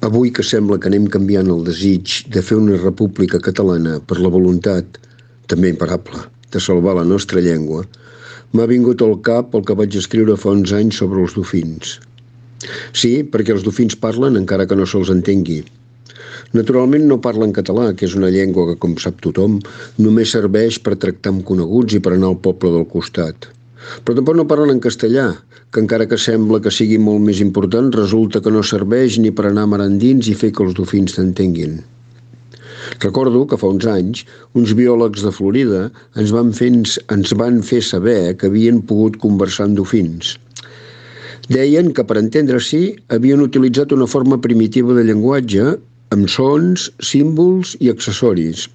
Avui que sembla que anem canviant el desig de fer una república catalana per la voluntat, també imparable, de salvar la nostra llengua, m'ha vingut al cap el que vaig escriure fa uns anys sobre els dofins. Sí, perquè els dofins parlen encara que no se'ls entengui. Naturalment no parlen català, que és una llengua que, com sap tothom, només serveix per tractar amb coneguts i per anar al poble del costat. Però tampoc no parlen en castellà, que encara que sembla que sigui molt més important, resulta que no serveix ni per anar mar endins i fer que els dofins t'entenguin. Recordo que fa uns anys, uns biòlegs de Florida ens van fer saber que havien pogut conversar amb dofins. Deien que per entendre-s'hi havien utilitzat una forma primitiva de llenguatge amb sons, símbols i accessoris.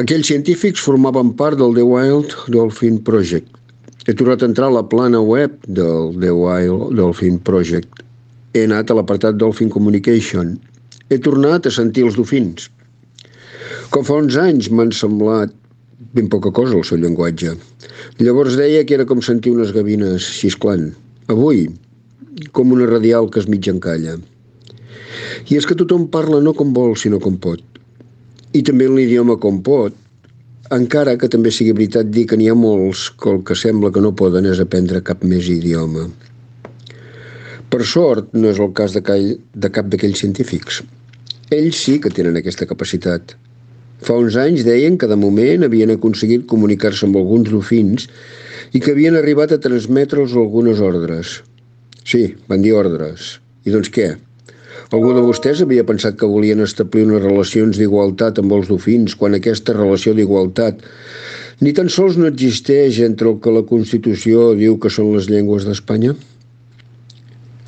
Aquells científics formaven part del The Wild Dolphin Project. He tornat a entrar a la plana web del The Wild Dolphin Project. He anat a l'apartat Dolphin Communication. He tornat a sentir els dofins. Com fa uns anys m'han semblat ben poca cosa el seu llenguatge. Llavors deia que era com sentir unes gavines xisclant. Avui, com una radial que es mig encalla. I és que tothom parla no com vol, sinó com pot. I també en l'idioma com pot, encara que també sigui veritat dir que n'hi ha molts que el que sembla que no poden és aprendre cap més idioma. Per sort, no és el cas de cap d'aquells científics. Ells sí que tenen aquesta capacitat. Fa uns anys deien que de moment havien aconseguit comunicar-se amb alguns dofins i que havien arribat a transmetre'ls algunes ordres. Sí, van dir ordres. I doncs què? Algú de vostès havia pensat que volien establir unes relacions d'igualtat amb els dofins quan aquesta relació d'igualtat ni tan sols no existeix entre el que la Constitució diu que són les llengües d'Espanya?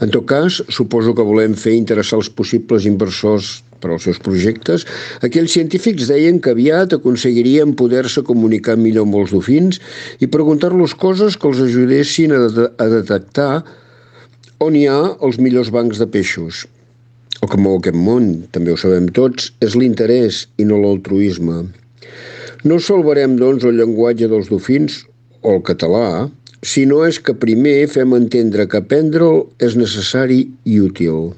En tot cas, suposo que volem fer interessar els possibles inversors per als seus projectes. Aquells científics deien que aviat aconseguirien poder-se comunicar millor amb els dofins i preguntar-los coses que els ajudessin a detectar on hi ha els millors bancs de peixos. El que mou aquest món, també ho sabem tots, és l'interès i no l'altruisme. No salvarem, doncs, el llenguatge dels dofins o el català, si no és que primer fem entendre que aprendre'l és necessari i útil.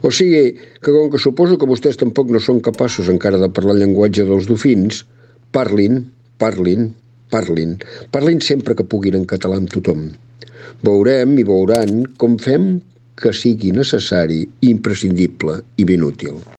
O sigui, que com que suposo que vostès tampoc no són capaços encara de parlar el llenguatge dels dofins, parlin sempre que puguin en català amb tothom. Veurem i veuran com fem que sigui necessari, imprescindible i ben útil.